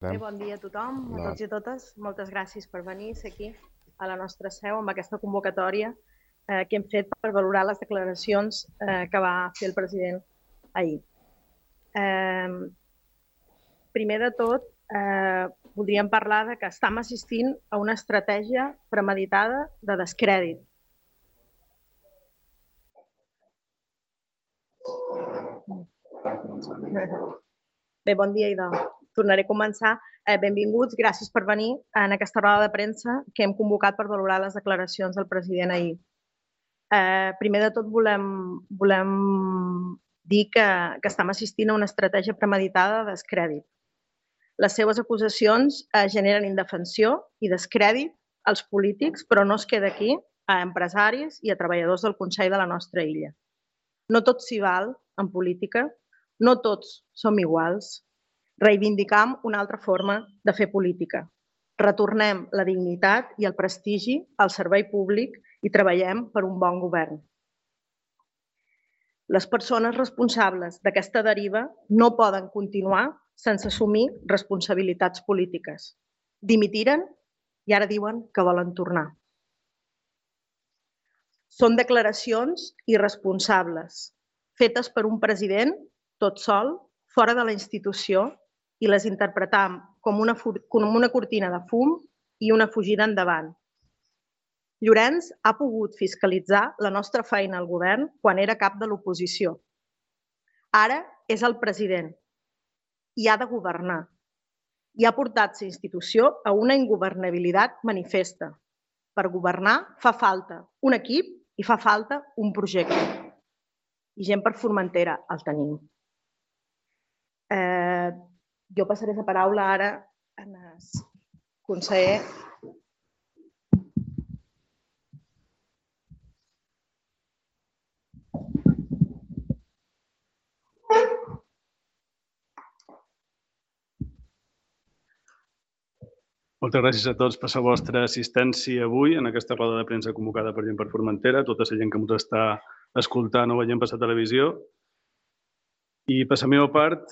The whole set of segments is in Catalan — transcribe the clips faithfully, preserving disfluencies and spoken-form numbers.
Bé, bon dia a tothom, a tots i a totes. Moltes gràcies per venir aquí a la nostra seu amb aquesta convocatòria eh, que hem fet per valorar les declaracions eh, que va fer el president ahir. Eh, primer de tot, eh, voldríem parlar de que estem assistint a una estratègia premeditada de descrèdit. Bé, bon dia, idò. Tornaré a començar. Eh, benvinguts, gràcies per venir en aquesta roda de premsa que hem convocat per valorar les declaracions del president ahir. Eh, primer de tot volem, volem dir que, que estem assistint a una estratègia premeditada de descrèdit. Les seves acusacions eh, generen indefensió i descrèdit als polítics, però no es queda aquí, a empresaris i a treballadors del Consell de la nostra illa. No tot s'hi val en política, no tots som iguals. Reivindicam una altra forma de fer política. Retornem la dignitat i el prestigi al servei públic i treballem per un bon govern. Les persones responsables d'aquesta deriva no poden continuar sense assumir responsabilitats polítiques. Dimitiren i ara diuen que volen tornar. Són declaracions irresponsables, fetes per un president tot sol, fora de la institució, i les interpretam com una, com una cortina de fum i una fugida endavant. Llorenç ha pogut fiscalitzar la nostra feina al govern quan era cap de l'oposició. Ara és el president i ha de governar. I ha portat la institució a una ingovernabilitat manifesta. Per governar fa falta un equip i fa falta un projecte. I gent per Formentera el tenim. Eh, jo passaré la paraula ara al conseller. Moltes gràcies a tots per la vostra assistència avui en aquesta roda de premsa convocada per Gent per Formentera, tota la gent que ens està escoltant o veient per la televisió. I per la meva part,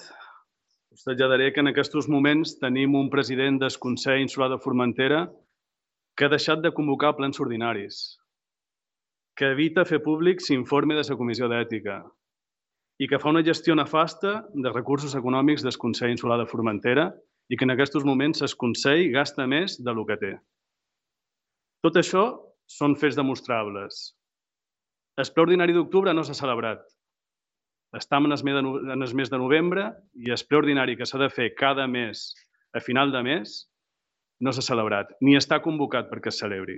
us traslladaré que en aquests moments tenim un president del Consell Insular de Formentera que ha deixat de convocar plens ordinaris, que evita fer públic l'informe de la Comissió d'Ètica i que fa una gestió nefasta de recursos econòmics del Consell Insular de Formentera i que en aquests moments el Consell gasta més del que té. Tot això són fets demostrables. El ple ordinari d'octubre no s'ha celebrat. Estem en el mes de novembre i el ple ordinari que s'ha de fer cada mes a final de mes no s'ha celebrat, ni està convocat perquè es celebri.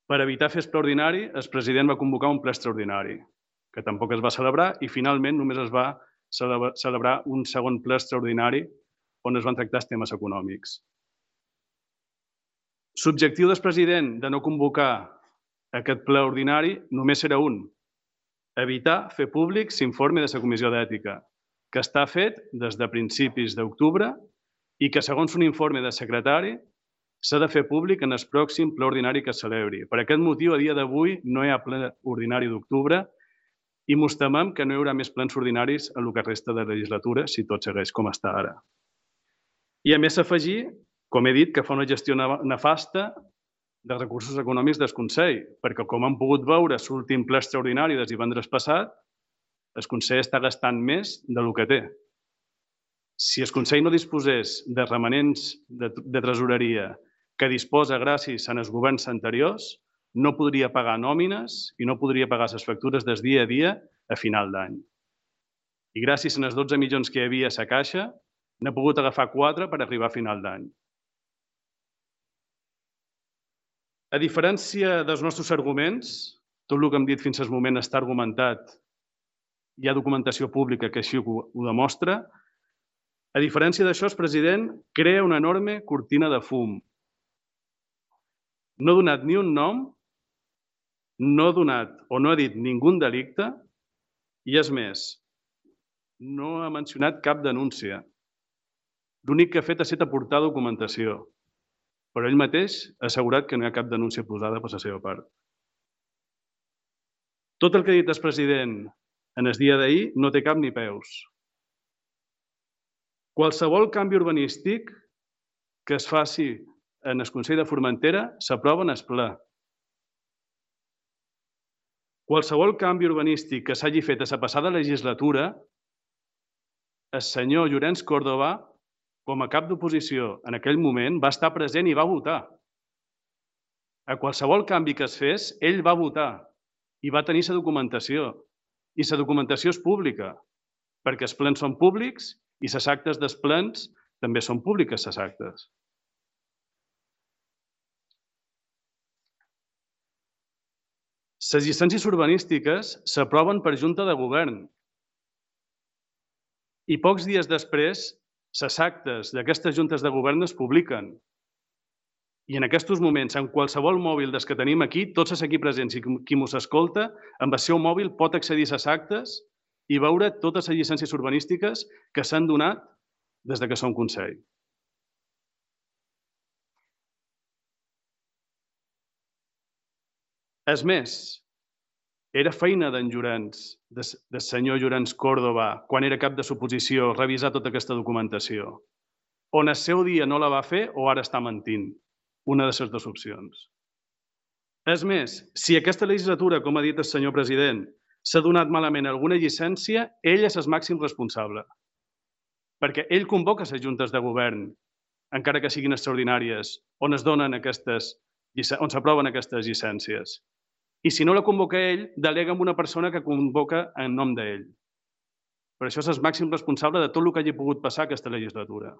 Per evitar fer el ple ordinari, el president va convocar un ple extraordinari, que tampoc es va celebrar i finalment només es va celebrar un segon ple extraordinari on es van tractar els temes econòmics. L'objectiu del president de no convocar aquest ple ordinari només era un: evitar fer públic l'informe de la Comissió d'Ètica, que està fet des de principis d'octubre i que, segons un informe del secretari, s'ha de fer públic en el pròxim ple ordinari que es celebri. Per aquest motiu, a dia d'avui no hi ha ple ordinari d'octubre i mos temem que no hi haurà més plens ordinaris en el que resta de legislatura si tot segueix com està ara. I a més s'afegir, com he dit, que fa una gestió nefasta dels recursos econòmics del Consell, perquè com hem pogut veure a l'últim ple extraordinari del divendres passat, el Consell està gastant més del que té. Si el Consell no disposés de remanents de tresoreria que disposa gràcies als governs anteriors, no podria pagar nòmines i no podria pagar les factures del dia a dia a final d'any. I gràcies als dotze milions que hi havia a la caixa, n'ha pogut agafar quatre per arribar a final d'any. A diferència dels nostres arguments, tot el que hem dit fins al moment està argumentat, hi ha documentació pública que així ho demostra. A diferència d'això, el president crea una enorme cortina de fum. No ha donat ni un nom, no ha donat o no ha dit ningú delicte i, és més, no ha mencionat cap denúncia. L'únic que ha fet ha estat aportar documentació, però ell mateix ha assegurat que no hi ha cap denúncia posada per la seva part. Tot el que ha dit el president en el dia d'ahir no té cap ni peus. Qualsevol canvi urbanístic que es faci en el Consell de Formentera s'aprova en el ple. Qualsevol canvi urbanístic que s'hagi fet a la passada legislatura, el senyor Llorenç Córdoba, com a cap d'oposició en aquell moment, va estar present i va votar. A qualsevol canvi que es fes, ell va votar i va tenir la documentació. I la documentació és pública, perquè els plens són públics i les actes dels plens també són públiques, les actes. Les llicències urbanístiques s'aproven per Junta de Govern i pocs dies després les actes d'aquestes juntes de govern es publiquen. I en aquests moments, en qualsevol mòbil dels que tenim aquí, tots els aquí presents i qui mos escolta, amb el seu mòbil pot accedir a les actes i veure totes les llicències urbanístiques que s'han donat des que som Consell. És més, era feina d'en Llorenç, del senyor Llorenç Córdoba, quan era cap de l'oposició, revisar tota aquesta documentació. On el seu dia no la va fer o ara està mentint? Una de les dues opcions. És més, si aquesta legislatura, com ha dit el senyor president, s'ha donat malament alguna llicència, ell és el màxim responsable. Perquè ell convoca les juntes de govern, encara que siguin extraordinàries, on es donen aquestes, on s'aproven aquestes llicències. I si no la convoca ell, delega amb una persona que convoca en nom d'ell. Per això és el màxim responsable de tot el que hagi pogut passar aquesta legislatura.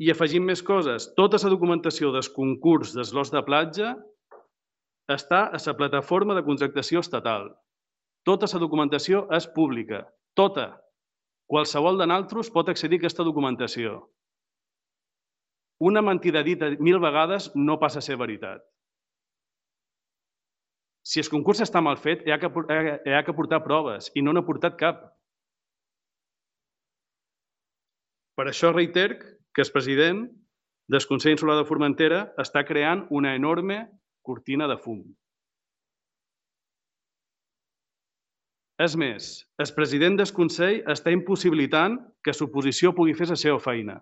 I afegim més coses. Tota la documentació del concurs dels lots de platja està a la plataforma de contractació estatal. Tota la documentació és pública. Tota. Qualsevol de nosaltres pot accedir a aquesta documentació. Una mentida dita mil vegades no passa a ser veritat. Si el concurs està mal fet, hi ha que portar proves i no n'ha portat cap. Per això reiter que el president del Consell Insular de Formentera està creant una enorme cortina de fum. És més, el president del Consell està impossibilitant que l'oposició pugui fer la seva feina,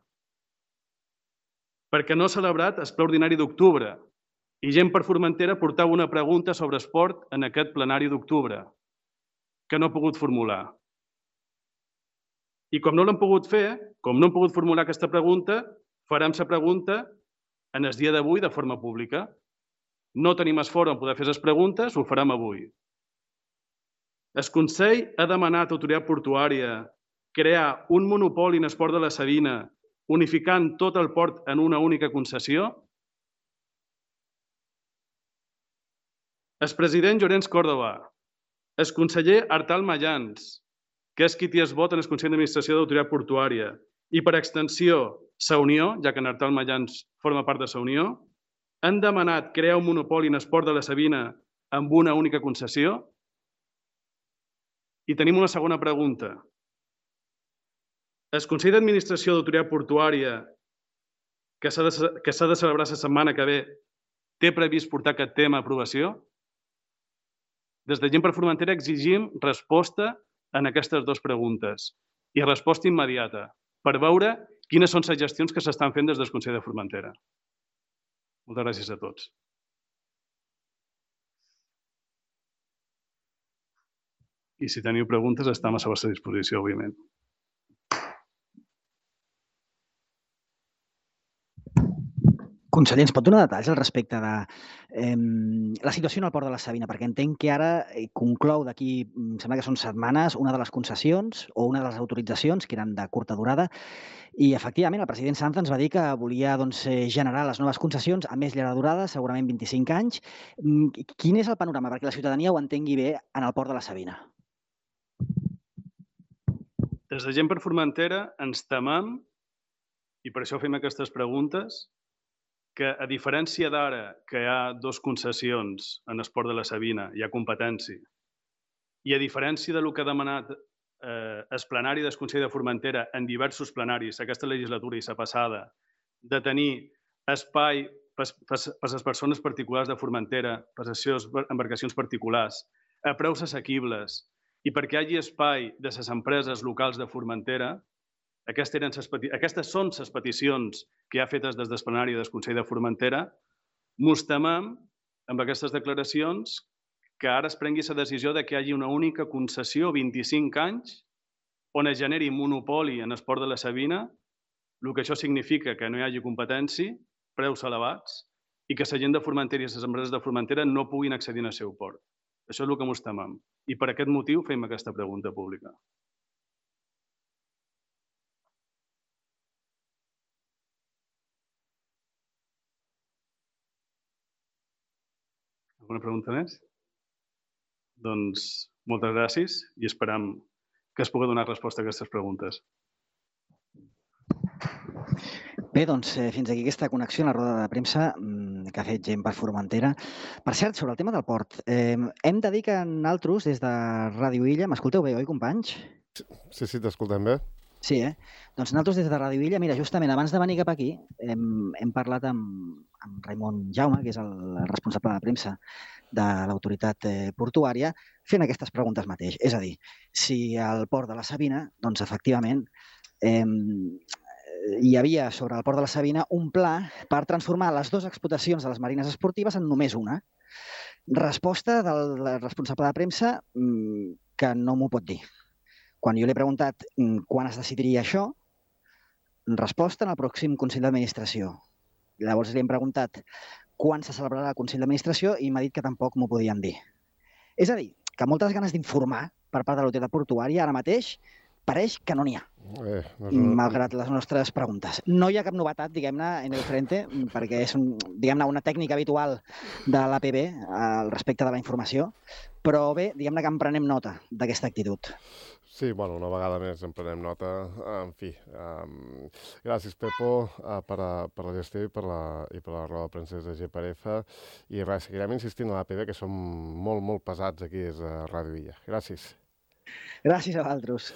perquè no ha celebrat el ple ordinari d'octubre i Gent per Formentera portava una pregunta sobre esport en aquest plenari d'octubre, que no ha pogut formular. I com no l'han pogut fer, com no han pogut formular aquesta pregunta, farem la pregunta en el dia d'avui de forma pública. No tenim el fòrum on poder fer les preguntes, ho farem avui. El Consell ha demanat a l'autoritat portuària crear un monopoli en el port de la Sabina, unificant tot el port en una única concessió? El president Llorenç Córdoba, el conseller Artal Mayans, que és qui té el vot en el Consell d'Administració de l'Autoritat Portuària, i per extensió, la Unió, ja que en Artal Mayans forma part de la Unió, han demanat crear un monopoli en el port de la Sabina amb una única concessió? I tenim una segona pregunta. El Consell d'Administració de l'Autoritat Portuària, que s'ha de celebrar la setmana que ve, té previst portar aquest tema a aprovació? Des de Gent per Formentera exigim resposta en aquestes dues preguntes i resposta immediata per veure quines són les gestions que s'estan fent des del Consell de Formentera. Moltes gràcies a tots. I si teniu preguntes, estem a la vostra disposició, òbviament. Conseller, ens pot donar detalls al respecte de la situació en el port de la Sabina? Perquè entenc que ara conclou d'aquí, em sembla que són setmanes, una de les concessions o una de les autoritzacions, que eren de curta durada, i efectivament el president Sanz ens va dir que volia generar les noves concessions a més llarga durada, segurament vint-i-cinc anys. Quin és el panorama perquè la ciutadania ho entengui bé en el port de la Sabina? Des de Gent per Formentera ens temem, i per això fem aquestes preguntes, que a diferència d'ara, que hi ha dues concessions en el port de la Sabina, hi ha competència, i a diferència del que ha demanat el plenari del Consell de Formentera en diversos plenaris, aquesta legislatura i la passada, de tenir espai per a les persones particulars de Formentera, per a les seves embarcacions particulars, a preus assequibles, i perquè hi hagi espai de les empreses locals de Formentera. Aquestes són les peticions que hi ha fetes des del plenari del Consell de Formentera. Mos temem, amb aquestes declaracions, que ara es prengui la decisió de que hi hagi una única concessió, vint-i-cinc anys, on es generi monopoli en el port de la Sabina, el que això significa que no hi hagi competència, preus elevats, i que la gent de Formentera i les empreses de Formentera no puguin accedir al seu port. Això és el que ens temem. I per aquest motiu fem aquesta pregunta pública. Alguna pregunta més? Doncs moltes gràcies i esperam que es pugui donar resposta a aquestes preguntes. Bé, doncs fins aquí aquesta connexió a la roda de premsa que ha fet gent per Formentera. Per cert, sobre el tema del port, hem de dir que nosaltres, des de Ràdio Illa, m'escolteu bé, oi, companys? Sí, sí, t'escoltem bé. Sí, eh? Doncs nosaltres des de Ràdio Illa, mira, justament abans de venir cap aquí, hem, hem parlat amb, amb Raimon Jaume, que és el responsable de premsa de l'autoritat portuària, fent aquestes preguntes mateix. És a dir, si al port de la Sabina, doncs efectivament, eh, hi havia sobre el port de la Sabina un pla per transformar les dues explotacions de les marines esportives en només una. Resposta del responsable de premsa que no m'ho pot dir. Quan jo li he preguntat quan es decidiria això, resposta en el pròxim Consell d'Administració. Llavors li hem preguntat quan se celebrarà el Consell d'Administració i m'ha dit que tampoc m'ho podien dir. És a dir, que moltes ganes d'informar per part de l'autoritat portuària ara mateix pareix que no n'hi ha, eh, no una... malgrat les nostres preguntes. No hi ha cap novetat, diguem-ne, en el frente, perquè és un, diguem-ne, una tècnica habitual de l'A P B al respecte de la informació, però bé, diguem-ne que en prenem nota d'aquesta actitud. Sí, bueno, una vegada més en prenem nota. En fi, um, gràcies, Pepo, uh, per, a, per la gestió i per la, i per la roda de premsa de G per F. I res, seguirem insistint a l'A P B, que som molt, molt pesats aquí des de Ràdio Illa. Gràcies. Gràcies a vosaltres.